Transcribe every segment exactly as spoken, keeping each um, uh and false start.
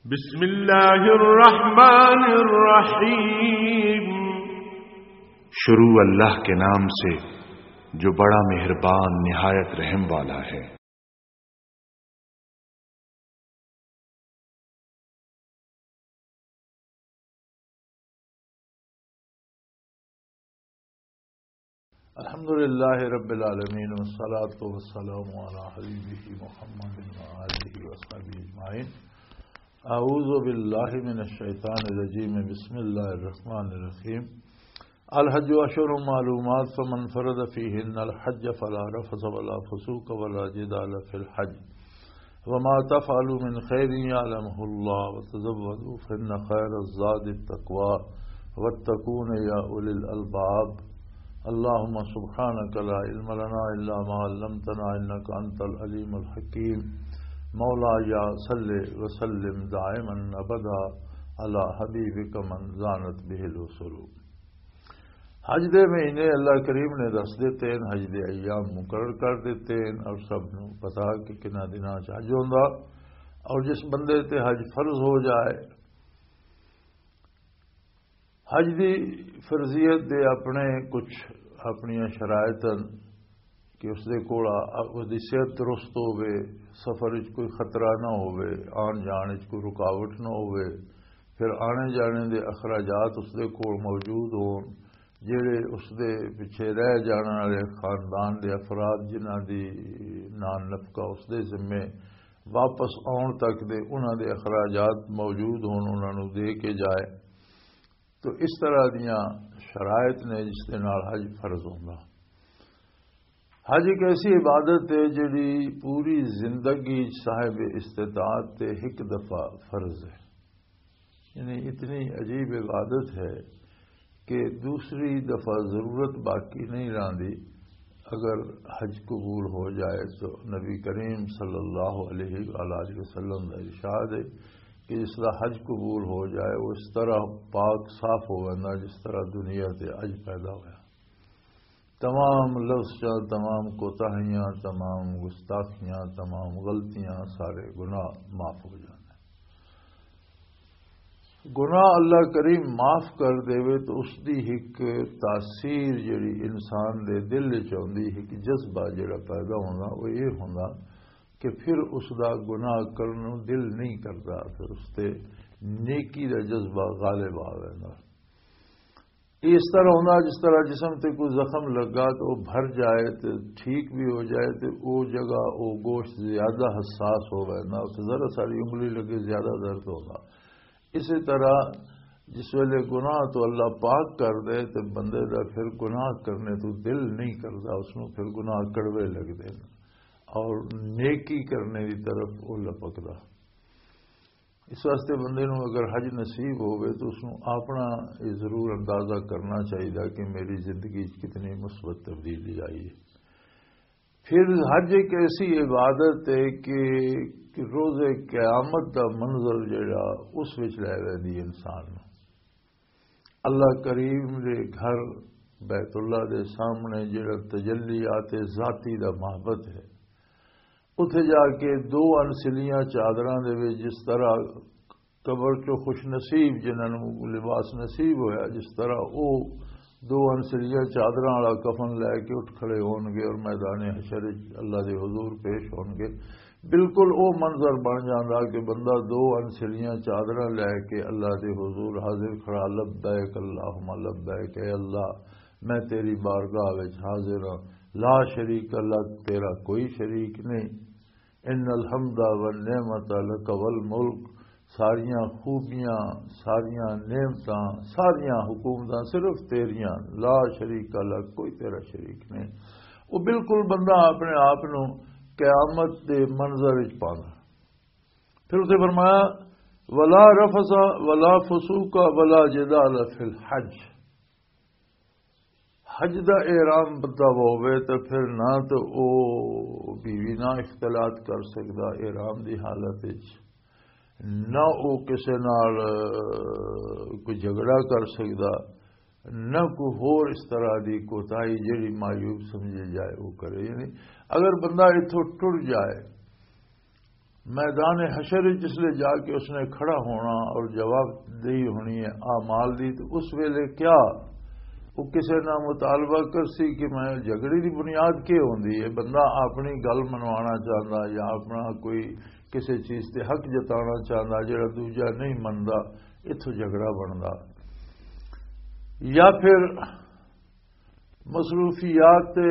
بسم اللہ الرحمن الرحیم۔ شروع اللہ کے نام سے جو بڑا مہربان نہایت رحم والا ہے۔ الحمد لله رب العالمين، والصلاة والسلام على حبيبه محمد وآله وصحبه أجمعين. أعوذ بالله من الشيطان الرجيم. بسم الله الرحمن الرحيم. الحج أشهر معلومات، فمن فرض فيهن الحج فلا رفث ولا فسوق ولا جدال في الحج، وما تفعلوا من خير يعلمه الله، وتزودوا فإن خير الزاد التقوى، واتقون يا أولي الألباب. اللهم سبحانك لا علم لنا إلا ما علمتنا إنك أنت العليم الحكيم. مولاي صل وسلم دائما أبدا على حبيبك من زانت به الوصول. حج دے مہینے اللہ کریم نے دس دیتے ہیں، حج دے ایام مقرر کر دیتے ہیں، اور سب نو پتا کہ کنا دناں چ حج ہوندا۔ اور جس بندے تے حج فرض ہو جائے، حج دی فرضیت دے اپنے کچھ اپنیاں شرائط ہیں کہ اس دے کول آ-، اس دی صحت درست ہووے، سفر وچ کوئی خطرہ نہ ہووے، آن جان وچ کوئی رکاوٹ نہ ہووے، پھر آنے جانے دے اخراجات اس دے کول موجود ہون، جڑے اس دے پچھے رہ جان والے خاندان دے افراد جنہاں دی نان نفقہ اس دے ذمے واپس آن تک دے انہاں دے اخراجات موجود ہون، انہاں نوں دے کے جائے۔ تو اس طرح دیاں شرائط نے جس دے نال حج فرض ہوندا۔ حج ایک ایسی عبادت ہے جڑی پوری زندگی صاحب استطاعت تے ایک دفعہ فرض ہے۔ یعنی اتنی عجیب عبادت ہے کہ دوسری دفعہ ضرورت باقی نہیں رہندی۔ اگر حج قبول ہو جائے تو نبی کریم صلی اللہ علیہ وآلہ وسلم کا ارشاد ہے کہ جس طرح حج قبول ہو جائے، وہ اس طرح پاک صاف ہو جانا جس طرح دنیا تے حج پیدا ہویا۔ تمام لفظاں، تمام کوتاہیاں، تمام گستاخیاں، تمام غلطیاں، سارے گناہ معاف ہو جاندے۔ گناہ اللہ کریم معاف کر دے تو اس دی ایک تاثیر جڑی انسان دے دل وچ آندی، ایک جذبہ جڑا پیدا ہونا، وہ یہ ہونا کہ پھر اس دا گناہ کرن نوں دل نہیں کردا، پھر اس تے نیکی دا جذبہ غالب آ ویندا۔ یہ اس طرح ہوندا جس طرح جسم تے کوئی زخم لگا تو وہ بھر جائے تے ٹھیک بھی ہو جائے تے وہ جگہ، وہ گوشت زیادہ حساس ہو گئے نا، اتھے ذرا ساری انگلی لگے زیادہ درد ہوندا۔ اسی طرح جس ویلے گناہ تو اللہ پاک کر دے تے بندے دا پھر گناہ کرنے تو دل نہیں کردا، اس نوں پھر گناہ کڑوے لگدے نے اور نیکی کرنے دی طرف وہ لپکدا۔ اس واسطے بندے نوں اگر حج نصیب ہووے تو اس نوں اپنا یہ ضرور اندازہ کرنا چاہیے کہ میری زندگی وچ کتنی مثبت تبدیلی آئی ہے۔ پھر حج ایک ایسی عبادت ہے کہ، کہ روز قیامت دا منظر جڑا اس وچ لے ویندی انسان نوں۔ اللہ کریم دے گھر بیت اللہ دے سامنے جڑا تجلیات ذاتی دا محبت ہے، اتھے جا کے دو انسلیاں چادراں دے وچ جس طرح قبر چوں خوش نصیب جنہاں نوں لباس نصیب ہویا، جس طرح او دو انسلیاں چادراں والا کفن لے کے اٹھ کھڑے ہون گے اور میدان حشر وچ اللہ دے حضور پیش ہون گے، بالکل او منظر بن جاندا کہ بندہ دو انسلیاں چادراں لے کے اللہ دے حضور حاضر کھڑا، لبیک اللہم لبیک، اے اللہ، میں تیری بارگاہ وچ حاضر ہاں، لا شریک لک، تیرا کوئی شریک نہیں، ان الحمد والنعمت لک والملک، ساریاں خوبیاں، ساریاں نعمتاں، ساریاں حکومتاں صرف تیریاں، لا شریک لک، کوئی تیرا شریک نہیں۔ وہ بالکل بندہ اپنے آپ نو قیامت دے منظر وچ پاندا۔ پھر اسے فرمایا، ولا رفث ولا فسوق ولا جدال فی الحج۔ حج دا احرام بندہ ہووے تے پھر نہ تے او بیوی نال اختلاط کر سکدا احرام دی حالت وچ، نہ او کسے نال کوئی جھگڑا کر سکدا، نہ کوئی ہور اس طرح دی کوتاہی جڑی معیوب سمجھی جائے او کرے۔ یعنی اگر بندہ اتھوں ٹر جائے میدان حشر وچ جس لے جا کے اس نے کھڑا ہونا اور جواب دہی ہونی ہے اعمال دی، تو اس ویلے کیا وہ کسے نہ مطالبہ کر سی کہ میں جھگڑے دی بنیاد کی ہوندی ہے؟ بندہ اپنی گل منوانا چاہندا یا اپنا کوئی کسے چیز تے حق جتانا چاہندا، جڑا دوجا نہیں مندا، اتھوں جھگڑا بندا۔ یا پھر مصروفیات تے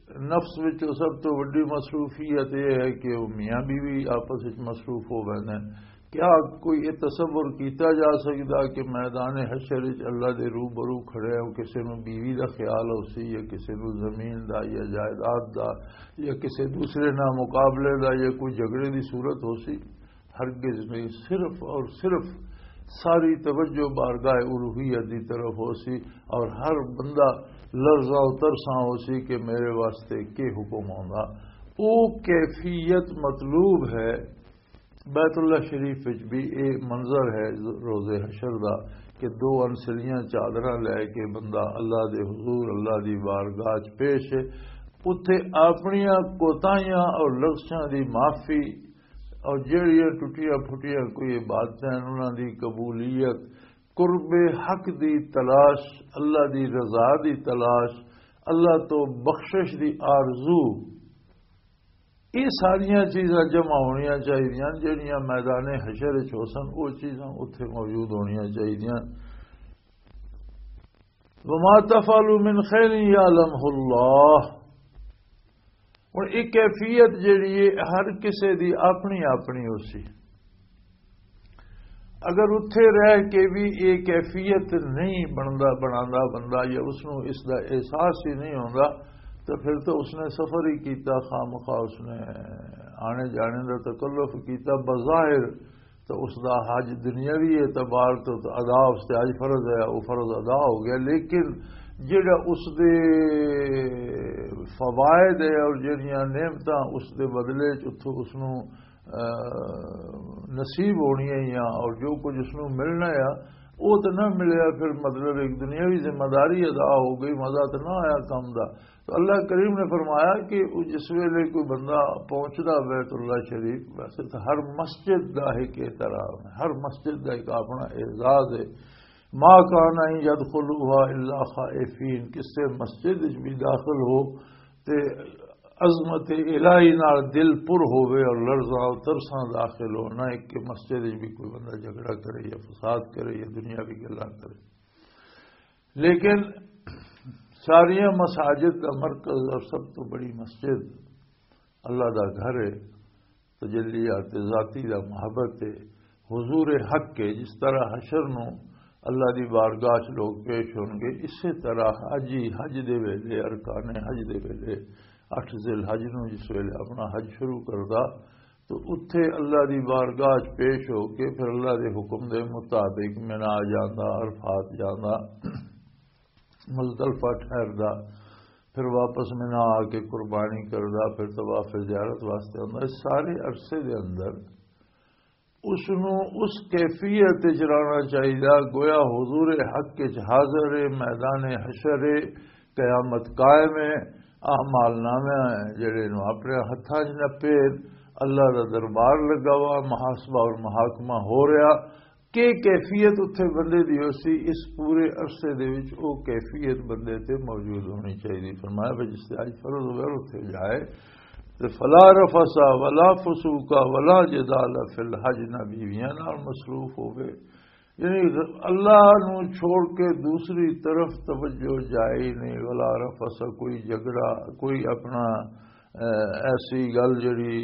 نفس وچ سب تو وڈی مصروفیت یہ ہے کہ وہ میاں بیوی آپس وچ مصروف ہو ویندے ہیں۔ کیا کوئی یہ تصور کیتا جا سکدا کہ میدان حشر وچ اللہ دے روبرو کھڑے ہو، کسے نو بیوی دا خیال ہو سی یا کسے نو زمین دا یا جائیداد دا یا کسے دوسرے نال مقابلے دا یا کوئی جھگڑے دی صورت ہو سی؟ ہرگز نہیں۔ صرف اور صرف ساری توجہ بارگاہ الوہیت دی طرف ہو سی، اور ہر بندہ لرزاں و ترساں ہو سی کہ میرے واسطے کی حکم ہوندا۔ او کیفیت مطلوب ہے۔ بیت اللہ شریف وچ بھی اے منظر ہے روز حشر دا کہ دو انسلیاں چادراں لے کے بندہ اللہ دے حضور، اللہ دی بارگاہ چ پیش ہے۔ اتھے اپنیاں کوتاہیاں اور لغزشاں دی معافی اور جہڑیاں ٹٹیاں پھٹیاں کوئی عبادتاں ہیں، انہاں دی قبولیت، قرب حق دی تلاش، اللہ دی رضا دی تلاش، اللہ تو بخشش دی آرزو، یہ ساریاں چیزاں جمع ہونیاں چاہیدیاں۔ جہڑیاں میدان حشر وچ ہو سن، وہ چیزاں اتھے موجود ہونیاں چاہیدیاں۔ وما تفعلوا من خیر یعلمہ اللہ۔ ہن ایک کیفیت جڑی ہے، ہر کسے دی اپنی اپنی ہو سی۔ اگر اتھے رہ کے بھی یہ کیفیت نہیں بندا، بنانا بندہ، یا اس نو اس دا احساس ہی نہیں ہوندا، تو پھر تو اس نے سفر ہی کیتا، خامخواہ اس نے آنے جانے دا تکلف کیتا۔ بظاہر تو اس دا حج دنیاوی اعتبار تو، تو ادا اس تے حج فرض ہے، وہ فرض ادا ہو گیا، لیکن جڑا اس دے فوائد ہے اور جڑیاں نعمتاں اس دے بدلے چ اتھوں اس نوں، آ، نصیب ہونیاں یا اور جو کچھ اس نوں ملنا ہے، وہ تو نہ ملیا۔ پھر مطلب ایک دنیاوی ذمہ داری ادا ہو گئی، مزہ تو نہ آیا کم دا۔ تو اللہ کریم نے فرمایا کہ وہ جس ویلے کوئی بندہ پہنچدا بیت اللہ شریف، ویسے تو ہر مسجد دا ایک احترام ہے، ہر مسجد دا ایک اپنا اعزاز ہے۔ ما کان ان یدخلوها الا خائفین، کسے مسجد وچ بھی داخل ہو تے عظمت الہی نال دل پر ہووے اور لرزاں اور ترساں داخل ہو، نہ ایک کہ مسجد وچ بھی کوئی بندہ جھگڑا کرے یا فساد کرے یا دنیاوی گلاں کرے۔ لیکن ساریاں مساجد دا مرکز اور سب تو بڑی مسجد اللہ دا گھر ہے، تجلیات ذاتی دا محبت ہے، حضور حق ہے۔ جس طرح حشر نو اللہ دی بارگاہ چ لوگ پیش ہون گے، اسی طرح حجی حج دے ویلے، ارکان حج دے ویلے، اٹھ ذی الحج نو جس ویلے اپنا حج شروع کردا، تو اتھے اللہ دی بارگاہ چ پیش ہو کے پھر اللہ دے حکم دے مطابق منا جاندا، عرفات جاندا، مزدلفہ ٹھہردا، پھر واپس منا آ کے قربانی کردا، پھر طواف زیارت واسطے آندا۔ اس سارے عرصے دے اندر اس نو اس کیفیت وچ رہنا چاہیدا، گویا حضور حق وچ حاضر ہے، میدان حشر ہے، قیامت قائم ہے، اعمال نامے جڑے نو اپنے ہتھاں وچ نپے، اللہ دا دربار لگا ہوا، محاسبہ اور محاکمہ ہو رہا۔ کہ کیفیت اتھے بندے دی ہو سی، اس پورے عرصے دے وچ او کیفیت بندے تے موجود ہونی چاہیے۔ فرمایا بھائی جس تے اج فرض ہوئے اتھے جائے تے فلا رفث ولا فسوق ولا جدال فی الحج، نہ بیویاں نال مصروف ہوئے، یعنی اللہ نو چھوڑ کے دوسری طرف توجہ جائے ہی نہیں۔ ولا رفث، کوئی جھگڑا، کوئی اپنا، اے، ایسی گل جڑی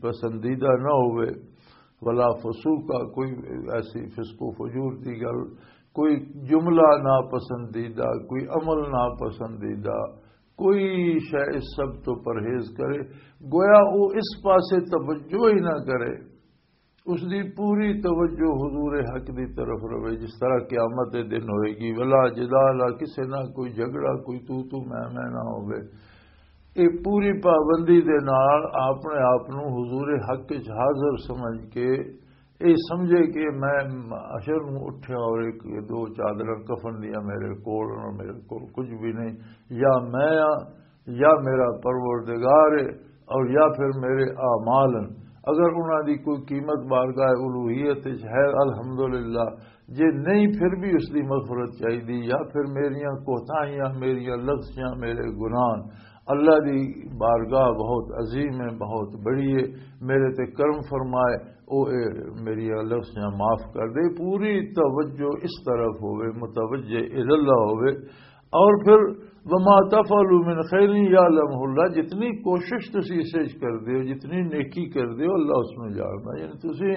پسندیدہ نہ ہوئے۔ ولا فسوق، کوئی ایسی فسق و فجور دی گل، کوئی جملہ ناپسندیدہ، کوئی عمل ناپسندیدہ، کوئی شے اس سب تو پرہیز کرے، گویا وہ اس پاسے توجہ ہی نہ کرے۔ اس دی پوری توجہ حضور حق دی طرف رہے، جس طرح قیامت دے دن ہوئے گی۔ ولا جدال، کسے نہ کوئی جھگڑا، کوئی تو تو میں میں نہ ہوئے۔ یہ پوری پابندی دے نال اپنے آپ نو حضور حق وچ حاضر سمجھ کے، یہ سمجھے کہ میں حشر نو اٹھیا اور ایک دو چادراں کفن دیاں میرے کول، اور میرے کول کچھ بھی نہیں، یا میں ہاں یا میرا پروردگار ہے، اور یا پھر میرے اعمال ہیں۔ اگر انہاں دی کوئی قیمت بارگاہ الوہیت وچ ہے، الحمدللہ، جے نہیں پھر بھی اس دی مغفرت چاہیدی، یا پھر میریاں کوتاہیاں، میریاں لغزشاں، میرے گناہ اللہ دی بارگاہ بہت عظیم ہے، بہت بڑی ہے، میرے تے کرم فرمائے، او اے میریاں لغزشاں معاف کر دے۔ پوری توجہ اس طرف ہوئے، متوجہ الاللہ ہوئے۔ اور پھر وما تفعلوا من خیر یعلمہ اللہ، جتنی کوشش تسی اس وچ کر دیو، جتنی نیکی کر دیو، اللہ اس نوں جاندا۔ یعنی تسی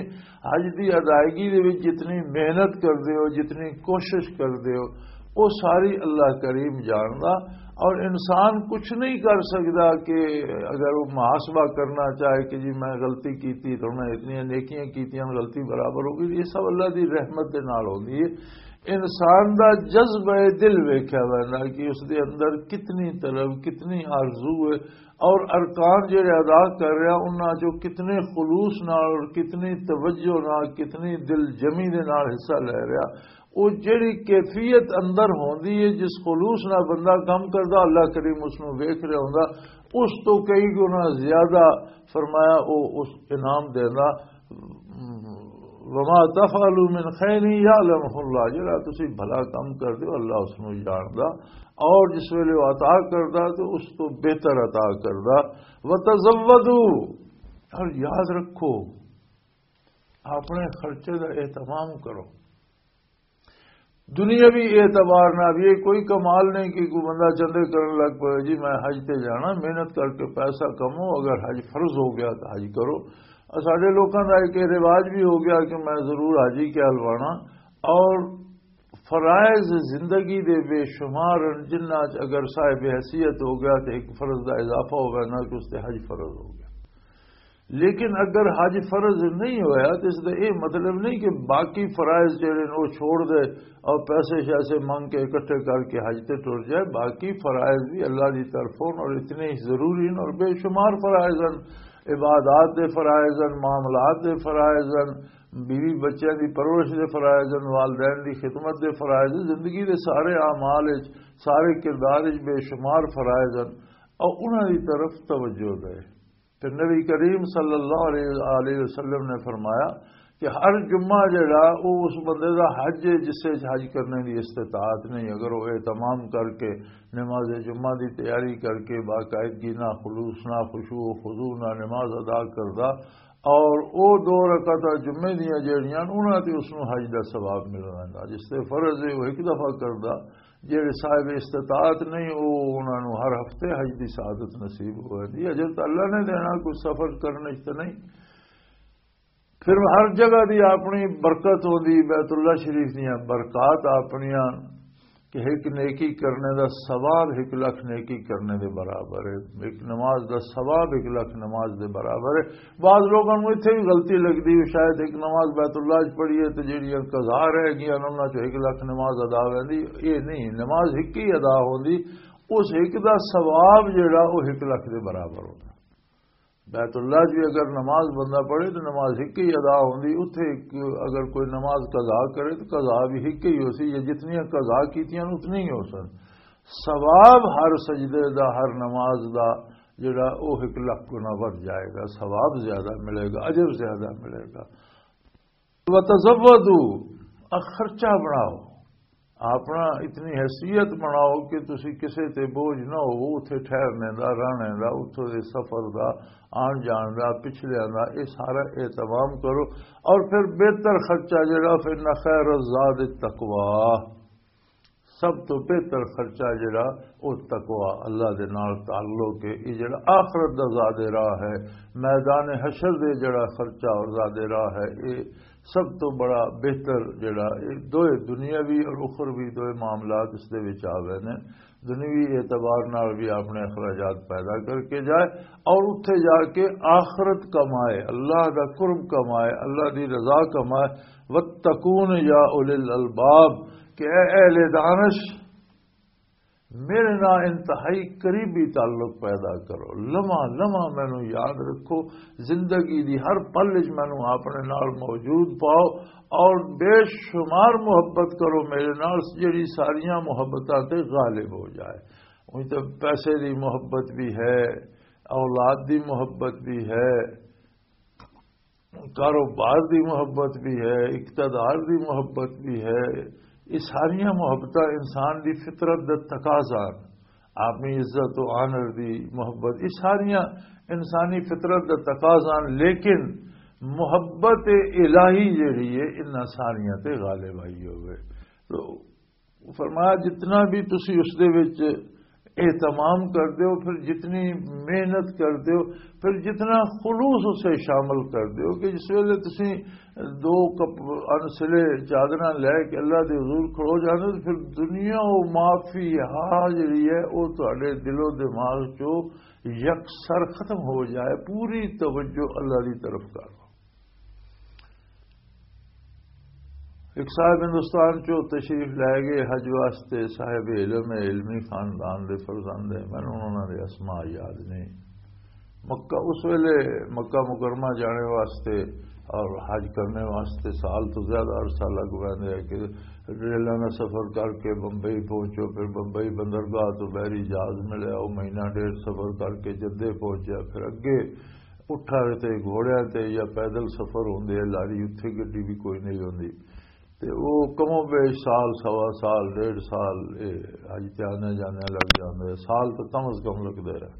حج دی ادائیگی دے وچ جتنی محنت کر دیو، جتنی کوشش کر دیو، وہ ساری اللہ کریم جاندا۔ اور انسان کچھ نہیں کر سکدا کہ اگر وہ محاسبہ کرنا چاہے کہ جی میں غلطی کیتی تو میں اتنی نیکیاں کیتیاں، غلطی برابر ہو گئی، یہ سب اللہ دی رحمت دے نال ہوندی ہے۔ انسان دا جذبہ دل ویکھیا ویندا کہ اس دے اندر کتنی طلب، کتنی آرزو ہے، اور ارکان جڑے ادا کر رہا، انہاں چوں کتنے خلوص نال اور کتنی توجہ نال، کتنی دل جمی دے نال حصہ لے رہا۔ وہ جڑی کیفیت اندر ہوندی ہے، جس خلوص نال بندہ کم کردا، اللہ کریم اس نوں ویکھ رہا ہوندا، اس تو کئی گنا زیادہ، فرمایا، وہ اس انعام دیندا۔ وما تفعلوا من خیر یعلمہ اللہ، جڑا تسی بھلا کم کر دیو، اللہ اس نوں جاندا، اور جس ویلے وہ عطا کردا تو اس تو بہتر عطا کردا۔ وتزودوا، اور یاد رکھو، اپنے خرچے دا اہتمام کرو۔ دنیاوی اعتبار نال یہ کوئی کمال نہیں کہ کوئی بندہ چندے کرن لگ پے، جی میں حج تے جانا، محنت کر کے پیسہ کمو، اگر حج فرض ہو گیا تو حج کرو۔ اور ساڈے لوکاں دا ایک رواج بھی ہو گیا کہ میں ضرور حاجی کہلوانا۔ اور فرائض زندگی دے بے شمار ہن، جنہاں چ اگر صاحب حیثیت ہو گیا تو ایک فرض دا اضافہ ہو گیا، نہ کہ اس تے حج فرض ہو گیا۔ لیکن اگر حج فرض نہیں ہویا تو اس دا یہ مطلب نہیں کہ باقی فرائض جڑے نے وہ چھوڑ دے اور پیسے شیسے منگ کے اکٹھے کر کے حج تے ٹر جائے۔ باقی فرائض بھی اللہ دی طرفوں اور اتنے ہی ضروری ہیں اور بے شمار فرائض ہیں، عبادات دے فرائض ہیں، معاملات دے فرائض ہیں، بیوی بچیاں دی پرورش دے فرائض ہیں، والدین دی خدمت دے فرائض ہیں، زندگی دے سارے اعمال وچ، سارے کردار وچ بے شمار فرائض ہیں اور انہاں دی طرف توجہ دے۔ تے نبی کریم صلی اللہ علیہ وآلہ وسلم نے فرمایا کہ ہر جمعہ جڑا، او اس بندے دا حج ہے جس وچ حج کرنے دی استطاعت نہیں۔ اگر وہ اہتمام کر کے نماز جمعہ دی تیاری کر کے باقاعدگی نہ، خلوص نہ، خشوع و خضوع نہ نماز ادا کردا، اور او دو رکعتاں جمعے دیاں جڑیاں انہاں تے اس نوں حج دا ثواب مل ویندا۔ جس تے فرض ہے وہ ایک دفعہ کردا، جڑے صاحب استطاعت نہیں، وہ انہاں نوں ہر ہفتے حج دی سعادت نصیب ہوندی۔ اجر تو اللہ نے دینا، کوئی سفر کرنے چ تو نہیں۔ پھر ہر جگہ دی اپنی برکت ہوندی، بیت اللہ شریف دیاں برکات اپنیاں، کہ ایک نیکی کرنے دا ثواب ایک لکھ نیکی کرنے دے برابر ہے، ایک نماز دا ثواب ایک لکھ نماز دے برابر ہے۔ بعض لوگاں نوں اتھے بھی غلطی لگدی ہے، شاید ایک نماز بیت اللہ وچ پڑھی ہے تے جڑیاں قضا رہ گئیاں انہاں چوں ایک لکھ نماز ادا ہوندی۔ یہ نہیں، نماز ایک ہی ادا ہوندی، اس ایک دا ثواب جڑا وہ ایک لکھ دے برابر ہوندا۔ بیت اللہ وچ بھی اگر نماز بندہ پڑھے تو نماز ایک ہی ادا ہوندی، اتھے ایک اگر کوئی نماز قضا کرے تو قضا بھی ایک ہی ہو سی، یا جتنی قضا کیتیاں اتنی ہی ہو سن۔ ثواب ہر سجدے دا، ہر نماز دا جڑا، وہ ایک لکھ گنا ودھ جائے گا، ثواب زیادہ ملے گا، اجر زیادہ ملے گا۔ وتزودوا، آ خرچہ بناؤ، اپنا اتنی حیثیت بناؤ کہ تسی کسے تے بوجھ نہ ہو، اتھے ٹھہرنے دا، رہنے دا، اتھوں دے سفر دا، آن جان دا، پچھلیاں دا، یہ سارا اہتمام کرو۔ اور پھر بہتر خرچہ جڑا، فإن خیر الزاد التقوی، سب تو بہتر خرچہ جڑا، او تقوی، اللہ دے نال تعلق ہے۔ یہ جڑا آخرت دا زاد راہ ہے، میدان حشر دے جڑا خرچہ اور زاد راہ ہے، یہ سب تو بڑا بہتر جڑا، یہ دوئے دنیاوی اور اخروی دوئے معاملات اس دے وچ آ گئے نے۔ دنیاوی اعتبار نال بھی اپنے اخراجات پیدا کر کے جائے اور اتھے جا کے آخرت کمائے، اللہ دا قرب کمائے، اللہ دی رضا کمائے۔ واتقون یا اولی الالباب، کہ اے اہل دانش، میرے نال انتہائی قریبی تعلق پیدا کرو، لمحہ لمحہ مینوں یاد رکھو، زندگی دی ہر پل وچ مینوں اپنے نال موجود پاؤ، اور بے شمار محبت کرو میرے نال، جڑی ساریاں محبتاں تے غالب ہو جائے۔ اُنج تے پیسے دی محبت بھی ہے، اولاد دی محبت بھی ہے، کاروبار دی محبت بھی ہے، اقتدار دی محبت بھی ہے۔ یہ ساریاں محبتاں انسان دی فطرت دا تقاضا ہن۔ اپنی عزت و آنر دی محبت، یہ ساریاں انسانی فطرت دا تقاضا ہن، لیکن محبت الہی جڑی ہے، انہاں ساریاں تے غالب آئی ہوئے۔ تو فرمایا، جتنا بھی تسی اس دے وچ اہتمام کر دیو، پھر جتنی محنت کر دیو، پھر جتنا خلوص اسے شامل کر دیو کہ جس ویلے تسی دو کپ انسلے چادراں لے کے اللہ دے حضور کھڑو جاندے، پھر دنیا و ما فیہا جڑی ہے، او تہاڈے دل و دماغ چوں یکسر ختم ہو جائے، پوری توجہ اللہ دی طرف کر۔ ایک صاحب ہندوستان چو تشریف لے گئے حج واسطے، صاحب علم ہے، علمی خاندان دے فرزند ہے، مینوں انہاں دے اسماء یاد نہیں۔ مکہ، اس ویلے مکہ مکرمہ جانے واسطے اور حج کرنے واسطے سال تو زیادہ عرصہ لگ ویندے ہے کہ ریلاں دا سفر کر کے بمبئی پہنچو، پھر بمبئی بندرگاہ تو بحری جہاز ملیا، وہ مہینہ ڈیڑھ سفر کر کے جدے پہنچیا، پھر اگے اٹھاں تے گھوڑیاں تے یا پیدل سفر ہوندے، لاری اتھے گڈی بھی کوئی نہیں ہوندی۔ تے او کمو بیش سال، سوا سال، ڈیڑھ سال، اے حج تے آنے جانے لگ جاندے، سال تو کم از کم لگدے رہے۔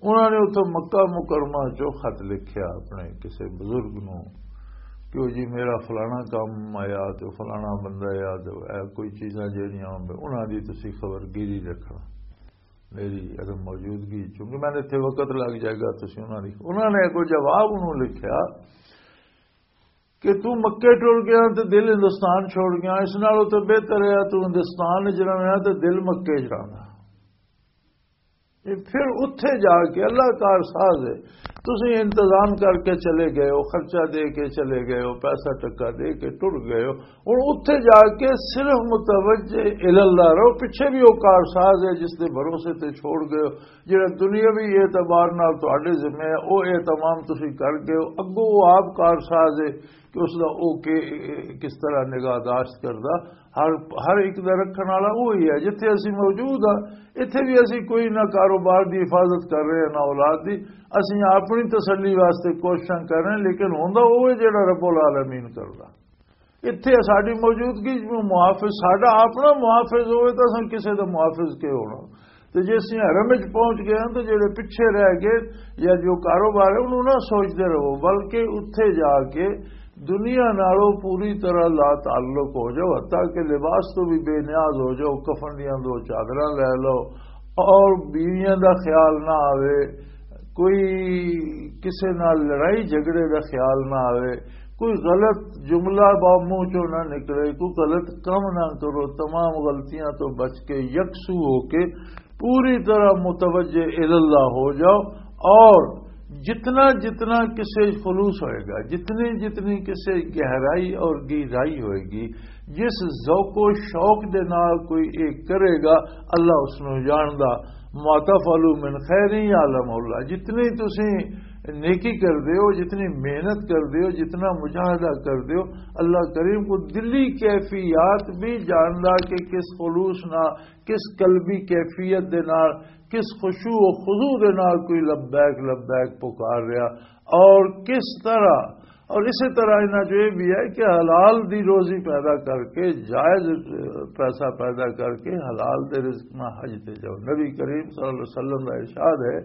انہاں نے اتھوں مکہ مکرمہ چوں خط لکھیا اپنے کسے بزرگ نوں کہ او جی میرا فلانا کام آیا تے فلانا بندہ آیا تے اے کوئی چیزاں جیڑیاں ہون، انہاں دی تسی خبر گیری رکھنا، میری عدم موجودگی، چونکہ میں نے اتھے وقت لگ جائے گا، تسی انہاں دی۔ انہاں نے اگوں جواب انہوں لکھیا کہ تو مکے ٹر گیا تے دل ہندوستان چھوڑ گیا، اس نالوں تے بہتر ہے تو ہندوستان وچ رہنا تے دل مکے وچ رہنا۔ یہ پھر اتھے جا کے اللہ کار ساز ہے، تسی انتظام کر کے چلے گئے ہو، خرچہ دے کے چلے گئے ہو، پیسہ ٹکا دے کے ٹر گئے ہو، ہن اتھے جا کے صرف متوجہ اللہ رہو۔ پیچھے بھی وہ کار ساز ہے جس دے بھروسے تے چھوڑ گئے ہو، جڑا دنیاوی اعتبار نال تہاڈے ذمہ ہے، وہ اہتمام تسی کر گئے ہو، اگوں وہ آپ کار ساز ہے کہ اس دا او کہ کس طرح نگاہ داشت کردا، ہر، ہر ایک دا رکھن والا وہی ہے۔ جتھے اسی موجود ہاں، اتھے بھی اسی کوئی نہ کاروبار دی حفاظت کر رہے ہیں، نہ اولاد دی، اسی اپنی تسلی واسطے کوششاں کر رہے ہیں، لیکن ہوندا وہ ہے جڑا رب العالمین کردا۔ اتھے ساڈی موجودگی محافظ، ساڈا اپنا محافظ ہوئے تو اساں کسے دا محافظ کے ہونا؟ تے جے اسی حرم وچ پہنچ گئے ہاں تو جڑے پیچھے رہ گئے یا جو کاروبار ہے انہوں نہ سوچتے رہو، بلکہ اتھے جا کے دنیا نالوں پوری طرح لا تعلق ہو جاؤ، حتیٰ کہ لباس تو بھی بے نیاز ہو جاؤ، کفن دیاں دو چادراں لے لو اور بیویاں دا خیال نہ آوے، کوئی کسے نال لڑائی جھگڑے دا خیال نہ آوے، کوئی غلط جملہ با منہ چوں نہ نکلے، کوئی غلط کم نہ کرو، تمام غلطیاں تو بچ کے یکسو ہو کے پوری طرح متوجہ اللہ ہو جاؤ، اور جتنا جتنا کسے خلوص ہوئے گا، جتنی جتنی کسے گہرائی اور گہرائی ہوئے گی، جس ذوق و شوق دے نال کوئی ایک کرے گا، اللہ اس نو جاندا۔ ما تفعلوا من خیر یعلم اللہ، جتنی تسی نیکی کر دیو، جتنی محنت کر دیو، جتنا مجاہدہ کر دیو، اللہ کریم کو دلی کیفیات بھی جاندا کہ کس خلوص نہ، کس قلبی کیفیت دے نال، کس خشوع و خضوع دے نال کوئی لبیک لبیک پکار رہا اور کس طرح۔ اور اسی طرح انہاں جو یہ بھی ہے کہ حلال دی روزی پیدا کر کے، جائز پیسہ پیدا کر کے حلال دے رزق نہ حج تے جاؤ۔ نبی کریم صلی اللہ علیہ وسلم کا ارشاد ہے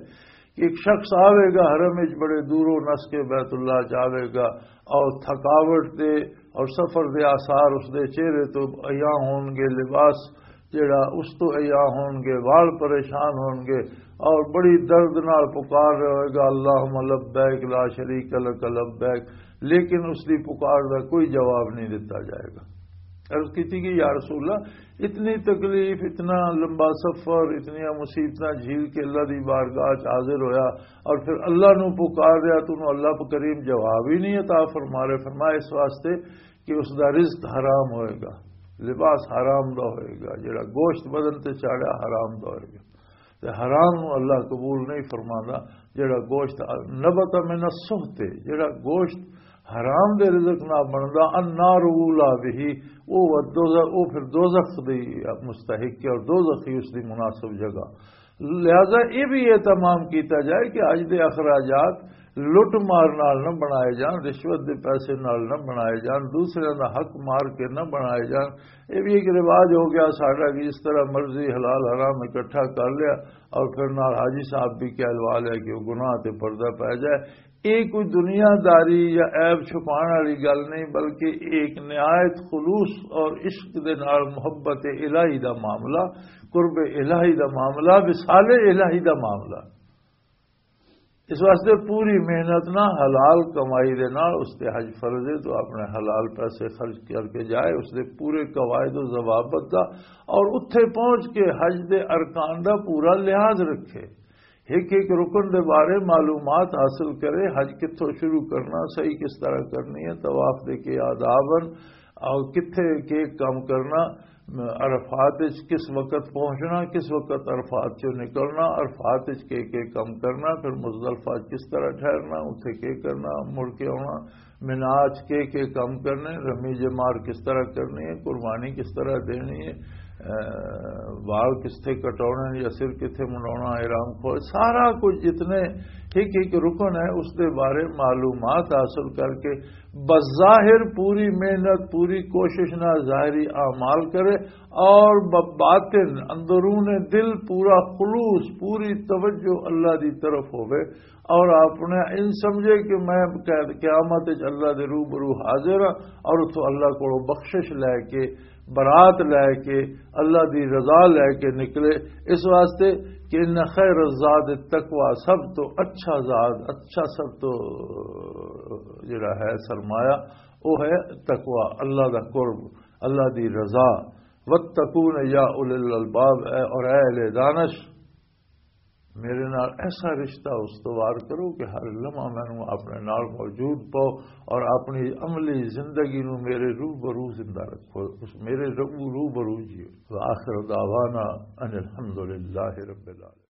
کہ ایک شخص آوے گا حرم وچ بڑے دوروں نس کے بیت اللہ جاوے گا اور تھکاوٹ دے اور سفر دے آثار اس دے چہرے تو عیاں ہون گے، لباس جڑا اس تو عیاں ہون گے، وال پریشان ہون گے اور بڑی درد نال پکار رہے ہوئے گا، اللہم لبیک لا شریک لک لبیک، لیکن اس دی پکار دا کوئی جواب نہیں دتا جائے گا۔ عرض کیتی کہ یا رسول اللہ، اتنی تکلیف، اتنا لمبا سفر، اتنیاں مصیبتاں جھیل کے اللہ دی بارگاہ چ حاضر ہویا اور پھر اللہ نو پکار رہا، تو نو اللہ کریم جواب ہی نہیں عطا فرما رہے۔ فرمایا اس واسطے کہ اس دا رزق حرام ہوئے گا، لباس حرام دا ہوئے گا، جڑا گوشت بدن تے چاڑھیا حرام دا ہوئے گا۔ تے حرام نو اللہ قبول نہیں فرماندا۔ جڑا گوشت نبت من السحت، جڑا گوشت حرام دے رزق نہ بندا، النار اولا بہ، او دوزخ، او پھر دوزخ دی مستحق ہے اور دوزخ ہی اس دی مناسب جگہ۔ لہذا یہ بھی اہتمام کیتا جائے کہ حج دے اخراجات لٹ مار نال نہ بنائے جان، رشوت دے پیسے نال نہ بنائے جان، دوسرے دا حق مار کے نہ بنائے جان۔ یہ بھی ایک رواج ہو گیا ساڈا کہ جس طرح مرضی حلال حرام اکٹھا کر لیا اور پھر نال حاجی صاحب بھی کہلوا لیا کہ وہ گناہ تے پردہ پہ جائے۔ یہ کوئی دنیا داری یا عیب چھپان والی گل نہیں، بلکہ ایک نہایت خلوص اور عشق دے نال محبت الہی دا معاملہ، قرب الہی دا معاملہ، وصال الہی دا معاملہ۔ اس واسطے پوری محنت نہ، حلال کمائی دے نال اس تے حج فرض ہے، تو اپنے حلال پیسے خرچ کر کے جائے، اس دے پورے قواعد و ضوابط دا، اور اتھے پہنچ کے حج دے ارکان دا پورا لحاظ رکھے، ایک ایک رکن دے بارے معلومات حاصل کرے، حج کتھوں شروع کرنا، صحیح کس طرح کرنی ہے، طواف دے کے آداب ہن، اور کتھے کے کم کرنا، عرفات وچ کس وقت پہنچنا، کس وقت عرفات چوں نکلنا، عرفات وچ کے کے کم کرنا، پھر مزدلفہ وچ کس طرح ٹھہرنا، اتھے کے کرنا، مڑ کے آنا، مینا وچ کے کے کم کرنے، رمی جمار کس طرح کرنی ہے، قربانی کس طرح دینی ہے، اے، وال کس تھے کٹاؤنا یا سر کتھے منڈاؤنا، احرام کھول، سارا کچھ جتنے ایک ایک رکن ہے، اس دے بارے معلومات حاصل کر کے بظاہر پوری محنت، پوری کوشش نہ، ظاہری اعمال کرے، اور بباطن، اندرون دل پورا خلوص، پوری توجہ اللہ دی طرف ہوئے، اور آپ نے ان سمجھے کہ میں قیامت وچ اللہ دے روبرو حاضر ہاں، اور اتھوں اللہ کولوں بخشش لے کے، برات لے کے، اللہ دی رضا لے کے نکلے۔ اس واسطے کہ ان خیر الزاد التقوی، سب تو اچھا زاد، اچھا سب تو جڑا ہے سرمایہ، وہ ہے تقوی، اللہ دا قرب، اللہ دی رضا۔ واتقون یا اولی الالباب، اے اور اے اہل دانش، میرے نال ایسا رشتہ استوار کرو کہ ہر لمحہ مینوں اپنے نال موجود پاؤ اور اپنی عملی زندگی نو میرے روبرو زندہ رکھو، اس میرے رو روبرو جیو۔ وآخر دعوانا ان الحمد للہ رب العالمین۔